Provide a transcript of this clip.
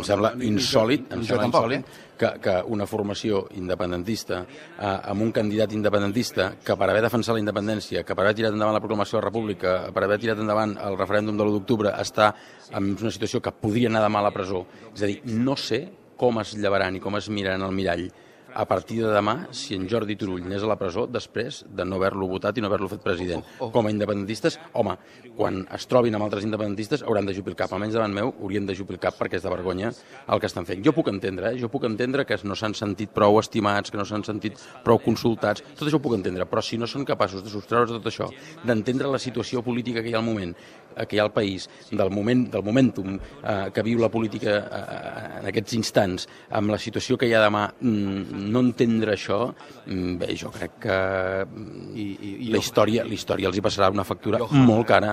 em sembla insòlit que una formació independentista amb un candidat independentista que per haver defensat la independència, que per haver tirat endavant la proclamació de la República, per haver tirat endavant el referèndum de l'1 d'octubre, està en una situació que podria anar demà a la presó. És a dir, no sé com es llevaran i com es miraran al mirall a partir de demà si en Jordi Turull anés a la presó després de no haver-lo votat i no haver-lo fet president. Com a independentistes, home, quan es trobin amb altres independentistes hauran d'ajupir el cap. Almenys davant meu haurien d'ajupir el cap perquè és de vergonya el que estan fent. Jo puc entendre que no s'han sentit prou estimats, que no s'han sentit prou consultats, tot això ho puc entendre, però si no són capaços de sostreure's tot això, d'entendre la situació política que hi ha al moment, que hi ha al país, del momentum que viu la política en aquests instants, amb la situació que hi ha demà, no entendre això, bé, jo crec que la història els hi passarà una factura molt cara.